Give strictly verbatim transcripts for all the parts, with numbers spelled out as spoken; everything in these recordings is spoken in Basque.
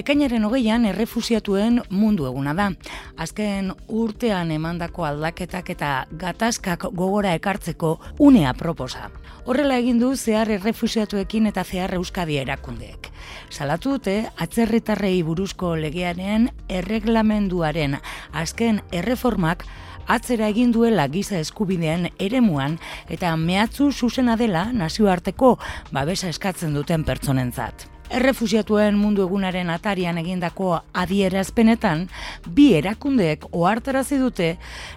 Ekainaren hogeian errefusiatuen mundu eguna da. Azken urtean emandako aldaketak eta gatazkak gogora ekartzeko unea proposa. Horrela egin du zehar errefusiatuekin eta zehar Euskadi erakundeek. Salatu dute atzerritarrei buruzko legearen erreglamenduaren azken erreformak atzera egin duela giza eskubideen eremuan eta mehatzu zuzena dela nazioarteko babesa eskatzen duten pertsonentzat. Errefusiatuen mundu egunaren atarian egindako adierazpenetan, bi erakundeek ohartarazi dute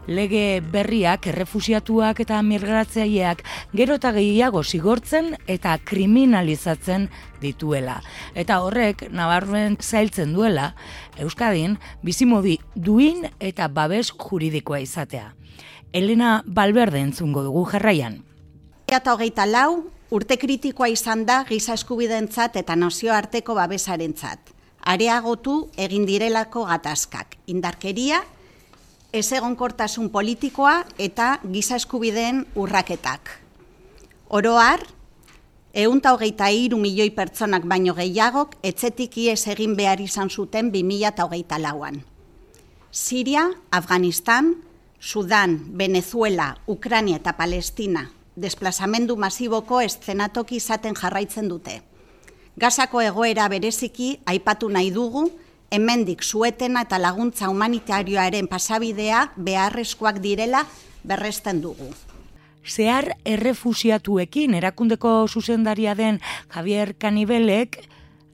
lege berriak errefusiatuak eta migratzaileak gero eta gehiago zigortzen eta kriminalizatzen dituela. Eta horrek nabarmen zailtzen duela Euskadin bizimodi duin eta babes juridikoa izatea. Elena Valverde entzungo dugu jarraian. Eta hogeita lau urte kritikoa izan da giza eskubideentzat eta nazioarteko babesarentzat. Areagotu egin direlako gatazkak, indarkeria, ezegonkortasun politikoa eta giza eskubideen urraketak. Oro har, ehun eta hogeita hiru milioi pertsonak baino gehiagok etxetik ihes egin behar izan zuten bi mila hogeita lauan. Siria, Afganistan, Sudan, Venezuela, Ukraina eta Palestina desplazamendu masiboko eszenatoki izaten jarraitzen dute. Gazako egoera bereziki aipatu nahi dugu, hemendik suetena eta laguntza humanitarioaren pasabidea beharrezkoak direla berresten dugu. Zehar errefusiatuekin erakundeko zuzendaria den Javier Canibelek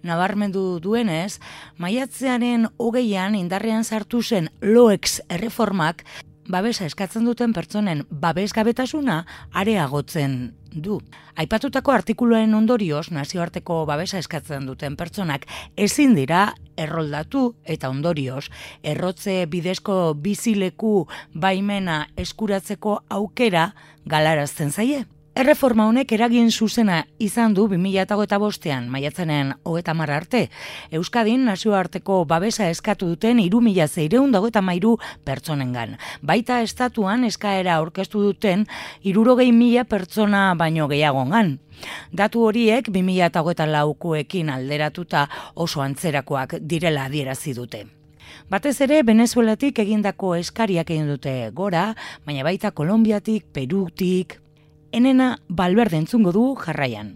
nabarmendu duenez, maiatzearen hogeian indarrean sartu zen LOEX erreformak babesa eskatzen duten pertsonen babesgabetasuna areagotzen du. Aipatutako artikuluen ondorioz, nazioarteko babesa eskatzen duten pertsonak ezin dira erroldatu eta ondorioz, errotze bidezko bizileku baimena eskuratzeko aukera galarazten zaie. Erreforma honek eragin zuzena izan du bi mila hogeita bostean, maiatzaren hogeita hamar arte, Euskadin nazioarteko babesa eskatu duten hiru mila seiehun eta hogeita hamairu pertsonengan. Baita estatuan eskaera aurkeztu duten hirurogei mila pertsona baino gehiagongan. Datu horiek bi mila hogeita laukoekin alderatuta oso antzerakoak direla adierazi dute. Batez ere, Venezuelatik egindako eskariak egin dute gora, baina baita Kolonbiatik, Perutik. Elena Valverde entzungo du jarraian.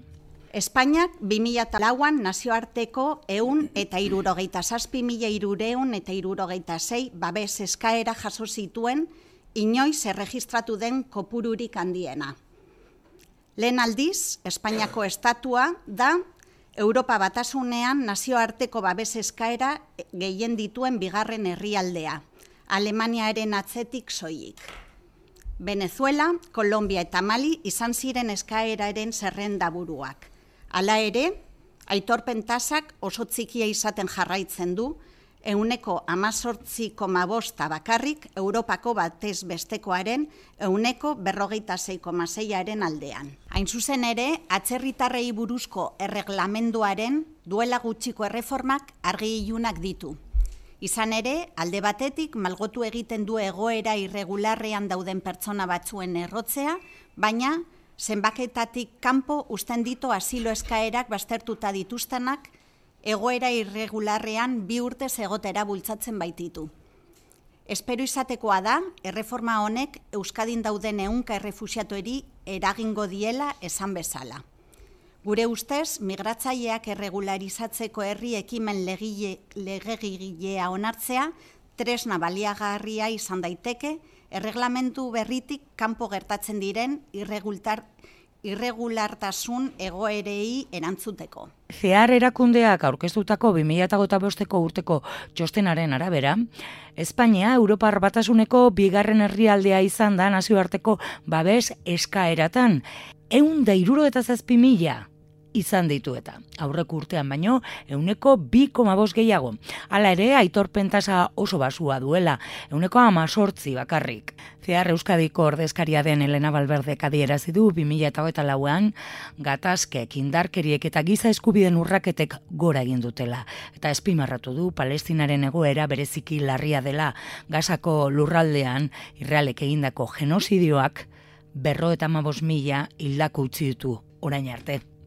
Espainiak bi mila lauan nazioarteko ehun eta hirurogeita zazpi mila hirurehun eta hirurogeita sei babes eskaera jaso zituen inoiz erregistratu den kopururik handiena. Lehen aldiz, Espainiako estatua da Europa Batasunean nazioarteko babes eskaera gehien dituen bigarren herrialdea, Alemaniaren atzetik soilik. Venezuela, Kolombia eta Mali izan ziren eskaeraren zerrenda buruak. Hala ere, aitorpen tasak oso txikia izaten jarraitzen du, ehuneko hamazortzi koma bosta bakarrik Europako batez bestekoaren ehuneko berrogeita sei koma seiaren aldean. Hain zuzen ere, atzerritarrei buruzko erreglamenduaren duela gutxiko erreformak argi ilunak ditu. Izan ere, alde batetik malgotu egiten du egoera irregularrean dauden pertsona batzuen errotzea, baina zenbaketatik kanpo uzten ditu asilo eskaerak baztertuta dituztenak egoera irregularrean bi urtez egotera bultzatzen baititu. Espero izatekoa da, erreforma honek Euskadin dauden ehunka errefusiatueri eragingo diela esan bezala. Gure ustez, migratzaileak erregularizatzeko herri ekimen legegilea onartzea, tresna baliagarria izan daiteke, erreglamendu berritik kanpo gertatzen diren irregulartasun egoerei erantzuteko. Zehar erakundeak aurkeztutako bi mila hogeita bosteko urteko txostenaren arabera, Espainia Europar Batasuneko bigarren herrialdea izan da nazioarteko babes eskaeratan, ehun eta hirurogeita zazpi mila izan ditu eta aurreko urtean baino ehuneko bi koma bost gehiago. Hala ere, aitorpen tasa oso basua duela, ehuneko hemezortzi bakarrik. Zehar Euskadiko ordezkaria den Elena Valverdek adierazi du bi mila hogeita lauan gatazkek, indarkeriek eta giza eskubideen urraketek gora egin dutela. Eta azpimarratu du Palestinaren egoera bereziki larria dela, Gazako lurraldean Israelek egindako genozidioak berrogeita hamabost mila hildako utzi ditu orain arte.